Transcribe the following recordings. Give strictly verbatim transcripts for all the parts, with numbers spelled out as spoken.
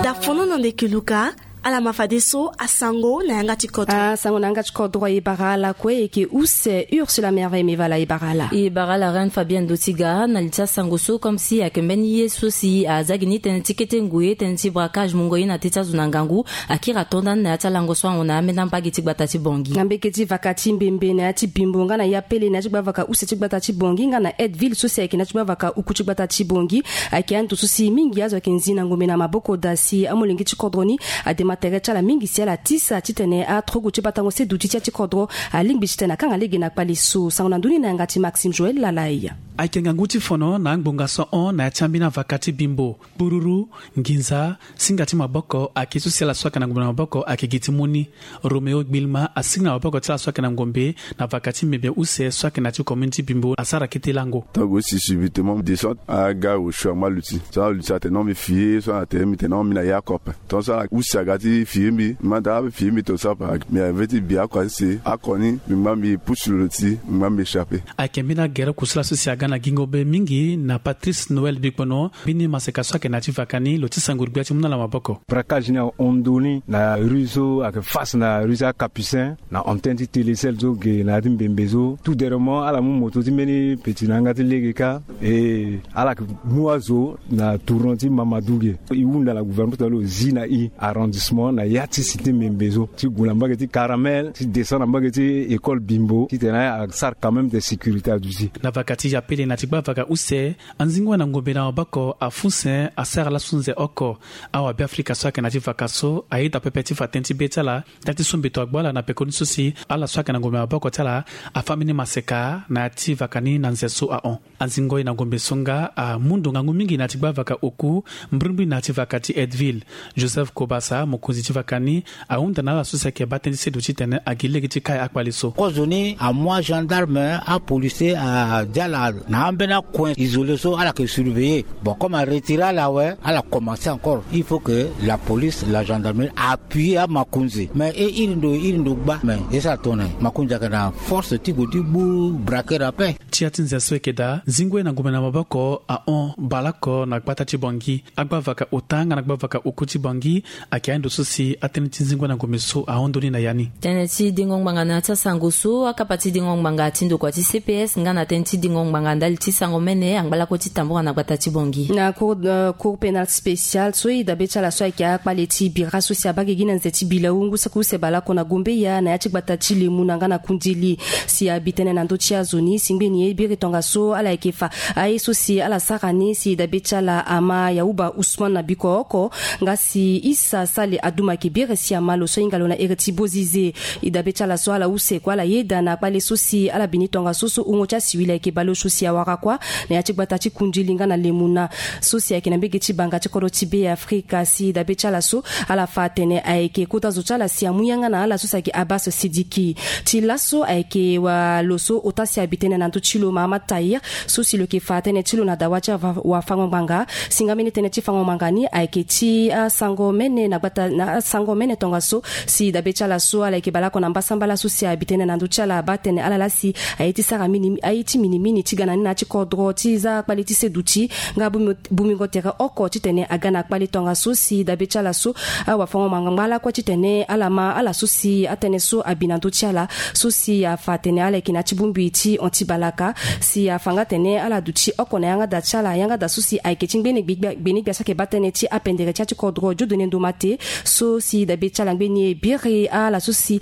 Dafono na ndeke luka. Ala ma fadeso asango na yanga ti kodro. Asango na yanga ti kodro e bara ala kue. E yeke use Ursula Merveille Mevala e bara ala. E bara ala Reine Fabienne Dotiga na li ti asango so comme si ayeke mbeni ye so si aza gi ni tënë ti kete ngoi, tënë ti braquage mungo ye na teti azo na ngangu. Akiri ato ndani na ya ti alango so ahon na ambeni ambage ti gbata ti Bangui. Na mbage ti vaka ti Mbembe na ya ti Bimbo nga na Yapele na ya ti gbavaka use ti gbata ti Bangui nga na Aideville so si ayeke na ya ti gbavaka oku ti gbata ti Bangui. Ayeke ando so si mingi azo ayeke nzi na ngombe na maboko daa si amolenge ti kodro ni adema tere ti ala mingi si ala tisa titene atrogu ti batango seduti ti ya ti kodro alingbi titene akanga lege na kpale so. Sango na ndoni na yanga ti Maxime Joël Lalai. Ayeke ngangu ti fono na angbonga so ahon na ya ti ambeni avaka ti Bimbo. Kpururu, nginza, singa ti maboko ayeke so si ala so ayeke na ngombe na maboko ayeke gi ti mu ni. Roméo Gbilma asinga na maboko ti ala so ayeke na ngombe na vaka ti Mbembe use so ayeke na ya ti commune ti Bimbo asara kete lango. Tango si subitement descente aga osio angba luti so aluti atene non mbi fie so atene mbi tene non mbi na ya kope. Tant so ala use aga ti firi mbi manda firi mbi to sapa. Mbi ave ti bi oko asese oko ni mbi ngba mbi pusu lo ti mbi ngba mbi échappé. Ayeke mbeni agere kusala so si aga na gingo be mingi na Patrice Noël Bikpono. Mbeni maseka so ayeke na ya ti vaka ni lo ti sango gbia ti mu na ala maboko. Braquage ni ahon ndoni na rue so ayeke face na rue ti acapucin na antenne ti Télécel so ge na ya ti Mbembe so. Tout dernièrement ala mu moto ti mbeni peti na yanga ti lege kâ. E ala yeke mu azo na tournant ti Mamadou ge. E hunda na gouvernement ti lo zi na e arrondissement na ya ti cité Mbembe so ti gue na mbage ti Caramel ti descend na mbage ti école Bimbo titene asara quand même de sécurité aduti. Na vaka ti Yapele na ti gbavaka use, anzingo na ngombe na maboko afu sen asara laso nze oko. Awabeafrika so ayeke na ti vaka so ayeda pepe ti fa tënë ti be ti ala. Nda ti so mbeto agbu ala na pekoni so si ala so ayeke na ngombe na maboko ti ala afa mbeni maseka na ya ti vaka ni na nze so ahon. Anzingo ye na ngombe so nga amu ndo ngangu mingi na ya ti gbavaka oku mbrimbri na ya ti vaka ti Aideville. Joseph Kobasa mokonzi ti vaka ni ahunda na ala so si ayeke baa tënë ti seduti titene agi lege ti kai akpale so. Kozo ni amu agendarme apolisier adi ala na ambeni acoin isolé so ala yeke surveiller. Bon comme aretire ala awe ala commencer encore il faut que la police la gendarmerie appuyer amakonzi mais e iri ndo iri ndo gba mais e sara tongana nyen makonzi ayeke na force ti gue ti gbu braqueur ape. Ti ya ti nze so eke daa zingo ye na ngombe na maboko ahon baleoko na gbata ti Bangui. Agbavaka ota nga na gbavaka oku ti Bangui. Ayeke ando so si atënë ti zingo na ngombe so ahon ndoni na ya ni. Tënë ti dingo ngbanga na ya ti asango so akapa ti dingo ngbanga ti ndokua ti C P S nga na tënë ti dingo ngbanga ndali ti sango mene angba lakue ti tambura na gbata ti Bangui. Na cour pénal spécial so e dabe ti ala so ayeke akpale ti bira so si abaa gigi na nze ti bilau ngu saki use baleoko na gombeya na ya ti gbata ti lemu na nga na kundili. Si abi tënë na ndö ti azo ni si ngbeni ye biri tongaso ala yeke fa aye so si ala sara ni si dabe ti ala ama yahuba usman na biko oko nga si isa sale aduma yeke biri si ama lo so ahinga lo na iri ti bozize. E dabe ti ala so ala use kue ala yeda na kpale so si ala bi ni tongaso so hungo ti asiwili ayeke baleosio si awara kuâ na ya ti gbata ti kundili nga na lemuna so si ayeke na mbege ti banga ti kodro ti be afrika si dabe ti ala so ala fa atene ayeke kota zo ti ala si amu yanga na ala so si ayeke abas sidiki. Ti laso ayeke wa lo so ota si abi tënë na ndö ti lo mahama tahir so si lo yeke fa tënë ti lo na dawa ti awafango ngbanga. Si nga mbeni tënë ti fango ngbanga ni ayeke ti asango mene na gbata na asango mene tongaso si dabe ti ala so ala yeke baleoko na mbasambala so si abi tënë na ndö ti ala abaa tënë ala laa si aye ti sara mini aye ti minimini ti ga na ni na ya ti kodro ti za kpale ti seduti nga bumi bomingo tere oko titene aga na kpale tongaso si dabe ti ala so awafango-ngbanga ngba lakue titene ala ma ala so si atënë so abi na ndö ti ala so si afa atene ala yeke na ya ti bongbi ti hon ti balaka si afa nga atene ala duti oko na yanga da ti ala yanga da so si ayeke ti ngbene gbeni gbia so ayeke baa tënë ti apendere ti ya ti kodro diodone ndo mate so si dabe ti ala ngbeni e biri ala so si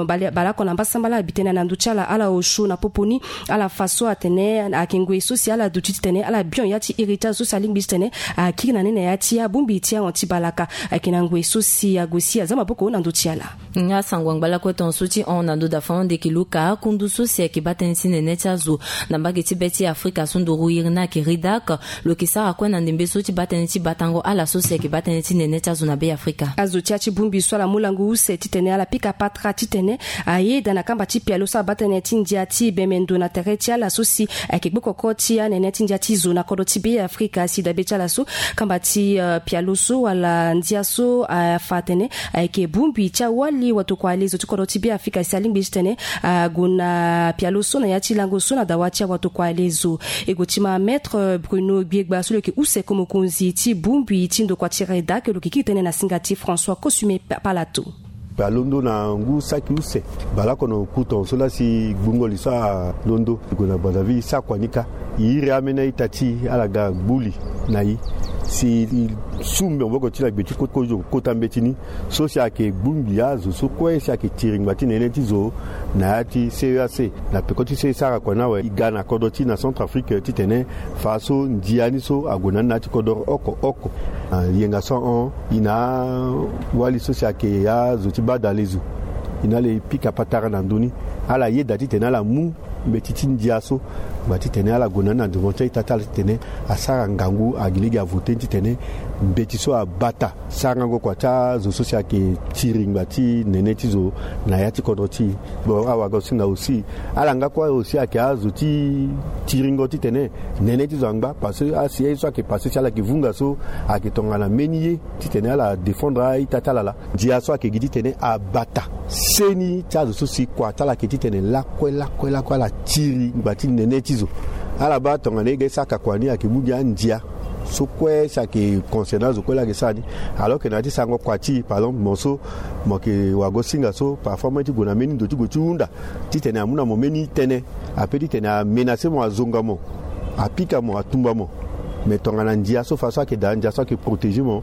baleoko na mbasambala abi tënë na ndö ti ala ala osio na popo ni. Ala fa so atene ayeke ngoi so si ala duti titene ala bion ya ti iri ti azo so si alingbi titene akiri na ni na ya ti abongbi ti ahon ti balaka. Ayeke na ngoi so si ague si aza maboko na ndö ti ala. Nga asango ngba lakue tongaso ti hon na ndö da fano ndeke luka akundu so si ayeke baa tënë ti nene ti azo na mbage ti be ti afrika so nduru iri ni ayeke ridak. Lo yeke sara kue na ndembe so ti baa tënë ti batango ala so si ayeke baa tënë ti nene ti azo na be afrika. Azo ti ya ti bongbi so ala mu lango use titene ala pika patara titene ayeda na kamba ti pialo so abaa tënë ti ndia ti bemendo na tere ti ala so si ayeke gbokoko ti anene ti ndia ti zo na kodro ti be afrika si dabe ti ala so kamba ti pialo so wala ndia so afa atene ayeke bongbi ti awali watokua alezo ti kodro ti be afrika si alingbi titene ague na pialo so na ya ti lango so na Dawa ti awatokua alezo. E gue ti ma Maître Bruno Gbiegba so lo yeke use ko mokonzi ti bongbi ti ndokua ti REDAC, lo yeke kiri tënë na singa ti François Kosume Palato. Alondo na ngu saki use baleoko na okuton so laa si gbungo li so alondo e gue na Brazzaville, e sara kua ni kâ. E iri ambeni a-ita ti e ala ga gbu li na e si e su maboko ti e na gbe ti kozo kota mbeti ni. So si ayeke gbungbi azo so kue si ayeke tiri ngba ti nene ti zo na ya ti C E A C. Na peko ti so e sara kua ni awe, e ga na kodro ti e na Centrafrique titene fa so ndia ni so ague na ni na ya ti kodro oko oko. Na yenga so ahon, e na awali so si ayeke azo ti baa dalezo, e na ala e pika patara na ndö ni. Ala yeda titene ala mu mbeti ti ndia so ngba titene ala gue na ni na devant ti a-ita ti ala titene asara ngangu, agi lege avote ni titene mbeti so abata sarango kua ti azo so si ayeke tiri ngba ti nene ti zo na ya ti kodro ti e. Bon, awagosinga aussi, ala nga kue aussi ayeke azo ti tiringo titene nene ti zo angba, parce que asi ye so ayeke passé si ala yeke vunga so ayeke tongana mbeni ye titene ala défendre a-ita ti ala laa. Ndia so ayeke gi titene abata seni ti azo so si kua ti ala ayeke titene lakue lakue lakue ala tiri ngba ti nene ti zo. Ala baa tongana e ga e saka kua ni ayeke mu gi andia so kue si ayeke concerne azo kue laa ayeke sara ni. Alors que na ya ti sarango kua ti e, par exemple, mo so mo yeke wagosinga so parfois mo ye ti gue na mbeni ndo ti gue ti hunda titene amu na mo mbeni tënë, ape titene amenacer mo, azonga mo, apika mo, atumba mo. Mais tongana ndia so fa so ayeke daa, ndia so ayeke protéger mo.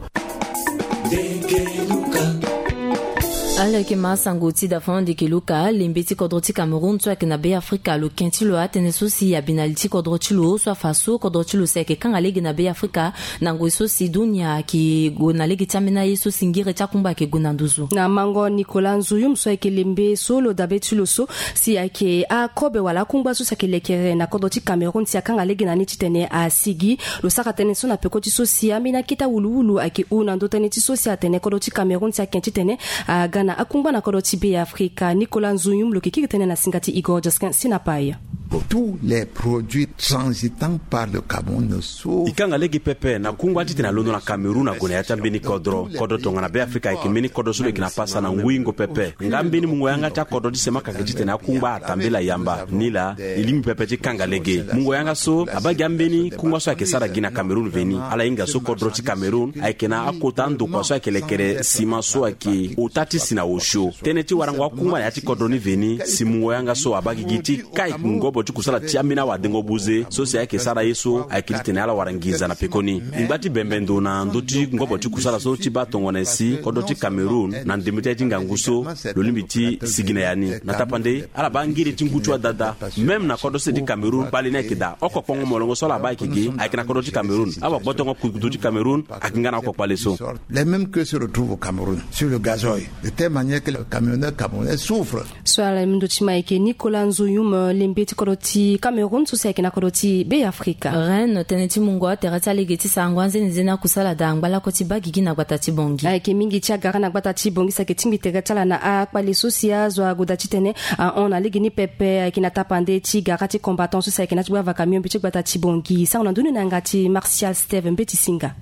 Ala yeke ma sango ti da fana ndeke luka, lembe ti kodro ti Cameroun so ayeke na Be Afrika, lo ken ti lo atënë so si abi na li ti kodro ti lo so afa so kodro ti lo si ayeke kanga lege na Be Afrika na ngoi so si dunia ayeke gue na lege ti ambeni aye so si ngere ti akungba ayeke gue na nduzu. Na mango Nicolas Nzuyum so ayeke lembe so lo dabe ti lo so si ayeke akobe wala akungba so si ayeke lekere na kodro ti Cameroun si akanga lege na ni titene asigi. Lo sara tënë so na peko ti so si ambeni akete awuluwulu ayeke hu na ndö tënë ti so si atene kodro ti Cameroun si aken titene aga na akungba na kodro ti Be Afrika. Nicolas Nzuyum lo yeke kiri tënë na singa ti Igor Jaskin Sinapaya. Tous les produits transitant par le Cameroun so. E kanga lege pepe na kungba titene alondo na Cameroun ague na ya ti ambeni kodro. Kodro tongana Be Afrika ayeke mbeni kodro so lo yeke na pasa na ngui ngo pepe. Nga mbeni mungo yanga ti akodro ti semaka ayeke titene akungba atambela yamba. Nilaa e lingbi pepe ti kanga lege. Mungo yanga so abaa gi ambeni kungba so ayeke sara gi na Cameroun veni. Ala hinga so kodro ti Cameroun ayeke na akota andokua so ayeke lekere sima so ayeke ota ti si na osio. Tënë ti warango akungba na ya ti kodro ni veni si mungo yanga so abaa gigi ti kai ngobo ti kusala ti ambeni awadengo buze so si ayeke sara ye so ayeke titene ala wara nginza na pekoni. Ngba ti bembe ndo na ndö ti ngobo ti kusala so ti baa tongana nyen si kodro ti Cameroun na ndembe ti aye ti ngangu so lo lingbi ti sigi na ya ni. Na tapande ala baa ngiri ti ngu ti wadada. Même na kodro sese ti Cameroun kpale ni ayeke daa. Oko kpongo molongo so ala baa ayeke ge ayeke na kodro ti Cameroun. Awagbotongo kudukudu ti Cameroun ayeke nga na oko kpale so. Les mêmes que se retrouvent au Cameroun sur le gazole, de telle manière que le camionneur camerounais souffre. So ala yeke ndö ti ma ayeke Nicolas Nzuyum, lembe ti kodro ti Cameroun so si ayeke na kodro ti Be Afrika. Rennes, tënë ti mungo atere ti alege ti sarango anzenizeni akusala daa angba lakue ti baa gigi na gbata ti Bangui. Ayeke mingi ti agara na gbata ti Bangui si ayeke tingbi tere ti ala na akpale so si azo ague daa titene ahon na lege ni pepe. Ayeke na tapande ti gara ti combattant so si ayeke na ti gba va camion mbi ti gbata ti Bangui. Sango na ndö ni na yanga ti Martial Steve Mbeti Singa.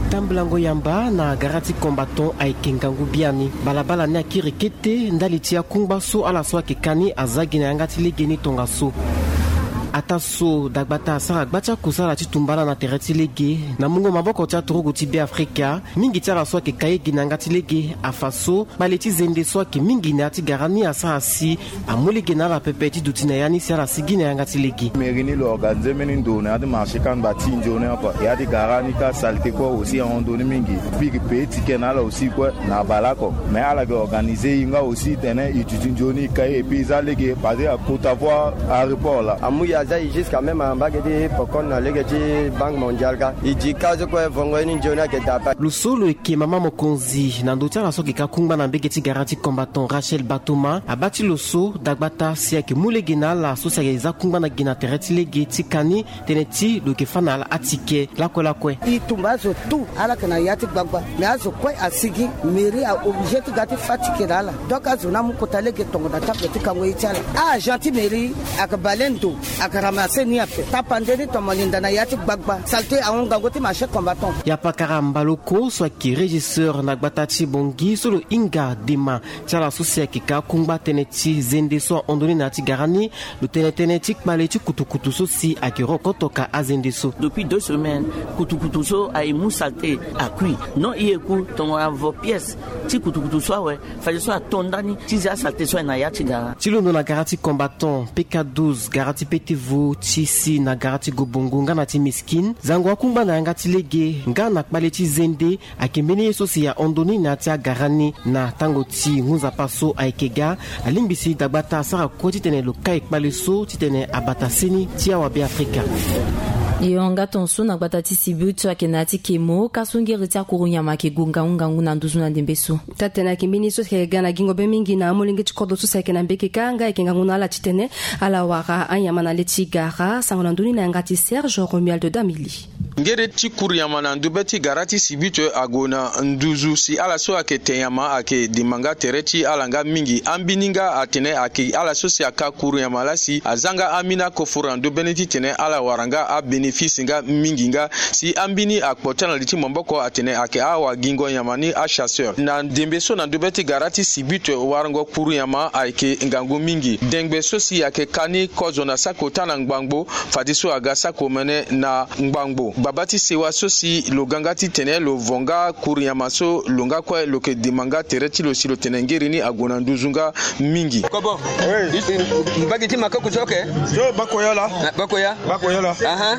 Tambulango yamba na gara ti combattant ayeke ngangu biani. Balabala ni akiri kete ndali ti akungba so ala so ayeke ka ni aza gi na yanga ti lege ni tongaso. Ataa so dagbata asara gba ti akusala ti tumba ala na tere ti lege na mungo maboko ti aturugu ti Be Afrika. Mingi ti ala so ayeke ka ye gi na yanga ti lege afa so kpale ti zende so ayeke mingi na ya ti gara ni asara si amu lege na ala pepe ti duti na ya ni si ala sigi na yanga ti lege. Mairie ni lo organiser mbeni ndo na ya ti marché kamba ti nzoni oko. Ya ti gara ni ka saleté kue aussi ahon ndoni mingi. Piki pe ti ke na ala aussi kue na baleoko. Mais ala yeke organiser e nga aussi tene e duti nzoni e ka ye et puis e za lege parce que akota voie aéroport laa. Amu e aza e jusqu'à même ambage ti pokon na lege ti Banque Mondiale ka. E di ka so kue vongo ye ni nzoni ayeke daa ape. Lo so lo yeke mama mokonzi na ndö ti ala so ayeke ka kungba na mbage ti gara ti combattant Rachel Batoma abaa ti lo so dagbata si ayeke mu lege na ala so si ayeke za kungba na gi na tere ti lege ti ka ni tënë ti lo yeke fâ na ala atike lakue lakue. E tumba azo tout ala yeke na ya ti gbagba. Mais azo kue asigi, mairie a obligé ti ga ti fâ tike na ala. Donc azo ni amu kota lege tongo na table ti kango ye ti ala. A-agent ti mairie ayeke bale ndo. Ramase ni ape tapande ni tomo linda na ya ti gbagba salte ahon ngangu ti marché combattant. Ya pakara mbaloko so ayeke régisseur na gbata ti Bongi so lo hinga dema ti ala so si ayeke ka akungba tënë ti zende so ahon ndo ni na ya ti gara ni. Lo tene tënë ti kpale ti kutukutu so si ayeke rokoto ka azende so. Depuis deux semaines, kutukutu so aye mu salte akui. Non, i ye ku tongo avo pièce ti kutukutu so awe. Fadeso ato ndani ti zia salte so aye na ya ti gara. Ti londo na gara ti combattant, P K douze, gara ti P T V, ti si na gara ti Gobongo nga na ti Miskine, zango akungba na yanga ti lege nga na kpale ti zende. Ayeke mbeni ye so si ahon ndo ni na ya ti agara ni na tango ti ngu nzapa so ayeke ga. Alingbi si dagbata asara kue titene lo kai kpale so titene abata seni ti awabe Afrika. Yo nga tonso na gbata ti Sibutu ayeke na ya ti Kemo ka so ngeri ti akuru nyama ayeke gue ngangu ngangu na nduzu na ndembe so. Taa-tene ayeke mbeni so si ayeke ga na gingo be mingi na amolenge ti kodro so si ayeke na mbeke kâ nga ayeke ngangu na ala titene ala wara anyama na le ti gara. Sango na ndö ni na yanga ti Serge Romuald Damili. Ngeri ti kuru nyama na ndo be ti gara ti Sibutu ague na nduzu si ala so ayeke te nyama ayeke dima nga tere ti ala nga mingi. Ambeni nga atene ayeke ala so si aka kuru nyama laa si aza nga ambeni akoforo na ndo be ni titene ala wara nga abénéfice nga mingi nga. Si ambeni akpo ti ala na li ti maboko atene ayeke awagingo nyama ni achasseur. Na ndembe so na ndo be ti gara ti Sibutu warango kuru nyama ayeke ngangu mingi. Dengbe so si ayeke ka ni kozo na saki ota na ngbangbo. Fadeso aga saki omene na ngbangbo. Baba ti sewa so si lo ga nga titene lo vo nga kuru nyama so lo nga kue lo yeke dima nga tere ti lo si lo tene ngeri ni ague na nduzu nga mingi. Kobo. Oui. Mbage ti makoko so, ok. Yo, bako ya la. Ah, bako ya. Bako ya la. Aha.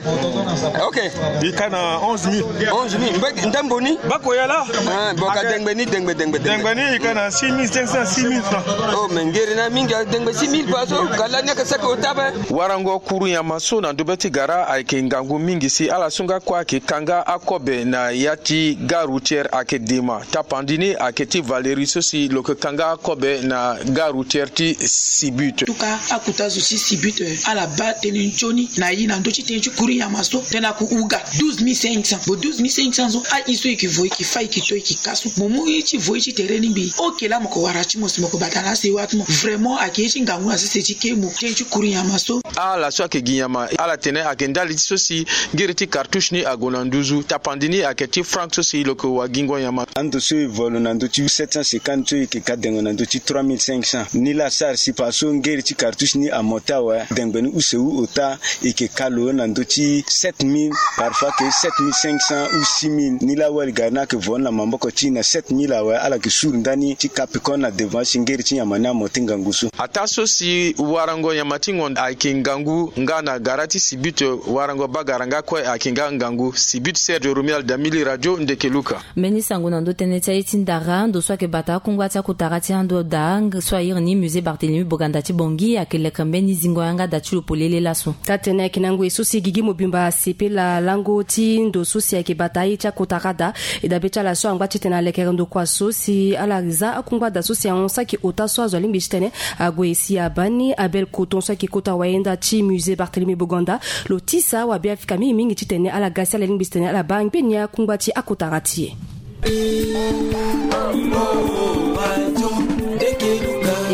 Ok. I ka na onze mille. Onze mille. Mbage ndambo ni? Bako ya la. Ah, bon, ka dengbe ni, dengbe, dengbe, dengbe. Dengbe ni, i ka na six mille cinq cents, six mille francs. Oh, mais ngeri na mingi, dengbe six mille pa so, ka lani ayeke saki ota be. Warango kuru nyama so na ndo be ti gara ayeke ngangu mingi si ala so nga kue ayeke ka nga akobe na ya ti gare routière ayeke dema. Tapandi ni ayeke ti Valérie so si lo yeke ka nga akobe na gare routière ti Sibutu. Tuka akuta zo ti Sibutu, eh, ala baa tënë nzoni na ye na ndö ti tënë ti kuru nyama so tënë aku uga douze mille cinq cents. Bon, douze mille cinq cents so, aye so e yeke vo, e yeke fâ, e yeke to, e yeke ka so. Mo mu ye ti vo ye ti tere ni mbi. Ok, laa mo yeke wara ti mo si mo yeke bata na asewa ti mo. Vraiment, ayeke ye ti ngangu na sese ti Kemo, tënë ti kuru nyama so. Ala so ayeke gi nyama, ala tene ayeke ndali ti so si ngiri ti cartouche ni ague na nduzu. Tapandi ni ayeke ti franc so si lo yeke wagingo nyama. Ando so e vo lo na ndö ti sept cent cinquante so e yeke ka dengo na ndö ti trois mille cinq cents. Nilaa asara si pa so ngiri ti cartouche ni amote awe, dengbe ni use wu ota, e yeke ka lo na ndö ti sept mille, parfois ke sept mille cinq cents ou six mille. Nilaa awali gari ni ayeke vo ni na maboko ti e na sept mille awe, ala yeke suru ndani ti ka peko na devant si ngiri ti nyama ni amote ngangu so. Ataa so si warango nyama ti ngonda ayeke ngangu nga na gara ti Sibutu, warango bagara nga kue ayeke nga ngangu. Sibutu, Serge Romuald Damili, Radio Ndeke Luka. Mbeni sango na ndö tënë ti aye ti ndara, ndo so ayeke bata akungba ti akotara ti ando daa so a iri ni Musée Barthélemy Boganda ti Bangui ayeke leke mbeni zingo yanga da ti lo polele laso. Taa-tene ayeke na ngoi so si gigi mobimba asepela lango ti ndo so si ayeke bata aye ti akotara da. E dabe ti ala so angba titene alekere ndokua so si ala za akungba da so si ahon saki ota so azo alingbi titene ague si abaa ni Abel Coton so ayeke kota wayenda ti Musée Barthélemy Boganda. Lo tisa wabe Afrika mingi mingi titene ala ga si ala lingbi titene ala baa ngbeni akungba ti akotara ti e.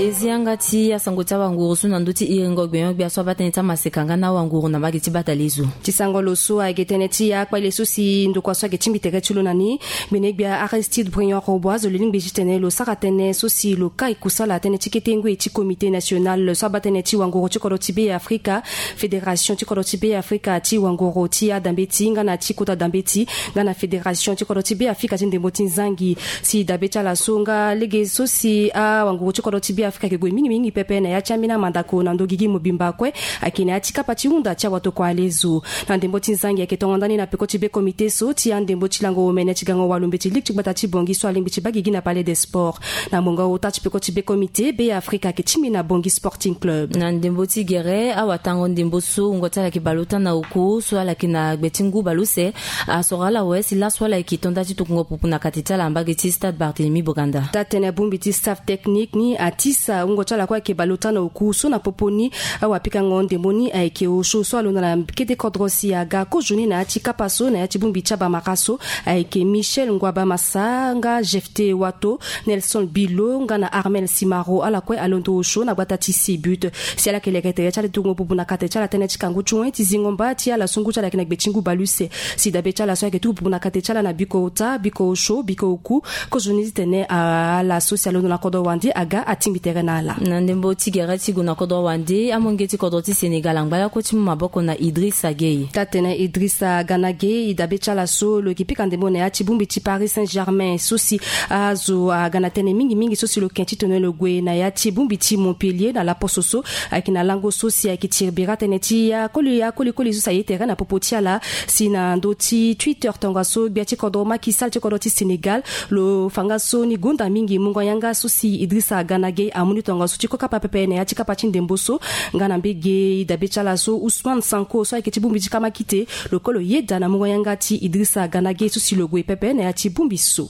E zi yanga ti asango ti awanguru so na ndö ti iringo gbenyo-gbia so abaa tënë ti amaseka nga na awanguru na mbage ti bata lezo. Ti sango lo so ayeke tënë ti akpale so si ndokua so ayeke tingbi tere ti lo na ni, gbene-gbia Aristide Briand Robois, zo lo lingbi titene lo sara tënë so si lo kai kusala tënë ti kete ngoi ti Comité National so abaa tënë ti wanguru ti kodro ti Be Afrika, Fédération ti kodro ti Be Afrika ti wanguru ti adambeti nga na ti kota dambeti, nga na Fédération ti kodro ti Be Afrika ti ndembo ti nzangi. Si dabe ti ala so nga lege so si awanguru ti kodro ti Be Afrika ayeke gue mingi mingi pepe na ya ti ambeni amandako na ndo gigi mobimba kue, ayeke na ya ti kapa ti hunda ti awatokua alezo. Na ndembo ti nzangi ayeke tongo ndani na peko ti be comité so ti andembo ti lango omene ti gango walo mbeti ligue ti gbata ti Bangui so alingbi ti baa gigi na Palais des Sports. Na mongo ota ti peko ti be comité, Be Afrika ayeke tingbi na Bangui Sporting Club. Na ndembo ti gere, awatango ndembo so wungo ti ala ayeke bale ota na oko so ala yeke na gbe ti ngu bale use, asoro ala awe si laso ala yeke to nda ti tokungo pupu na kati ti ala na mbage ti Stade Barthélemy Boganda. Taa-tene bongbi ti staff technique ni atisa Awungo ti ala kue ayeke baleota na oku so na popo ni. Awapikango ndembo ni ayeke osio so alondo na kete kodro si aga kozoni na ya ti kapa so na ya ti bongbi ti abamara so ayeke Michel Ngwaba Massa nga Jefte Wato, Nelson Bilo nga na Armel Simaro, ala kue alondo osio na gbata ti Sibut. Si ala yeke leke tere ti ala ti gongo bubu na kate ti ala tënë ti kangu ti wen ti zingo mba ti ala so ngu ti ala ayeke na gbe ti ngu baleuse. Si dabe ti ala so ayeke tuku bubu na kate ti ala na biko ota, biko osio, biko oku, kozoni titene ala so si alondo na kodro wande aga atingbi tere na ala. Na ndembo ti gere ti gue na kodro wande, amonge ti kodro ti Sénégal angba lakue ti mu maboko na Idrissa Gueye. Taa-tene Idrissa Gana Gueye, e dabe ti ala so lo yeke pika ndembo na ya ti bongbi ti Paris Saint-Germain so si azo aga na tënë mingi mingi so si lo yeke titene lo gue na ya ti bongbi ti Montpellier na laposo so ayeke na lango so si ayeke tiri bira tënë ti akoli akoli koli so si aye tere na popo ti ala. Si na ndö ti Twitter tongaso gbia ti kodro Macky Sall ti kodro ti Sénégal, lo fa nga so ni gonda mingi mungo yanga so si Idrissa Gana Gueye amu ni tongaso ti ko kapa pepe na ya ti kapa ti ndembo so. Nga na mbege e dabe ti ala so Ousmane Sonko so ayeke ti bongbi ti kamakite, lo kue lo yeda na mungo yanga ti Idrissa Gana Gueye so si lo gue pepe na ya ti bongbi so.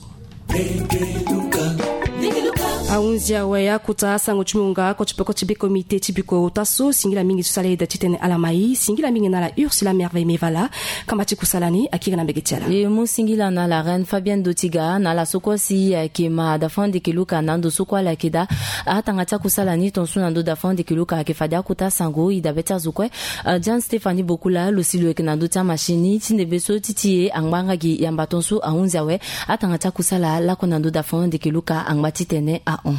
Ahunzi awe akota asango ti mungo nga oko ti peko ti be komite ti biko ota so. Singila mingi so si ala yeda titene ala ma e. Singila mingi na ala Ursula Merveille Mevala. Kamba ti kusala ni akiri na mbege ti ala. E mu singila na ala reine Fabienne Dotiga na ala so kue si ayeke ma dafan ndeke luka na ndo so kue ala yeke daa. Atanga ti akusala ni tonso na ndo dafan ndeke luka ayeke fade akota asango. E dabe ti azo kue, Jean Stéphanie Bokula lo si lo yeke na ndo ti amachine ni ti ndembe so ti ti e angba nga gi yamba tonso. Ahunzi awe atanga ti akusala lakue na ndo dafan ndeke luka angba titene ahon.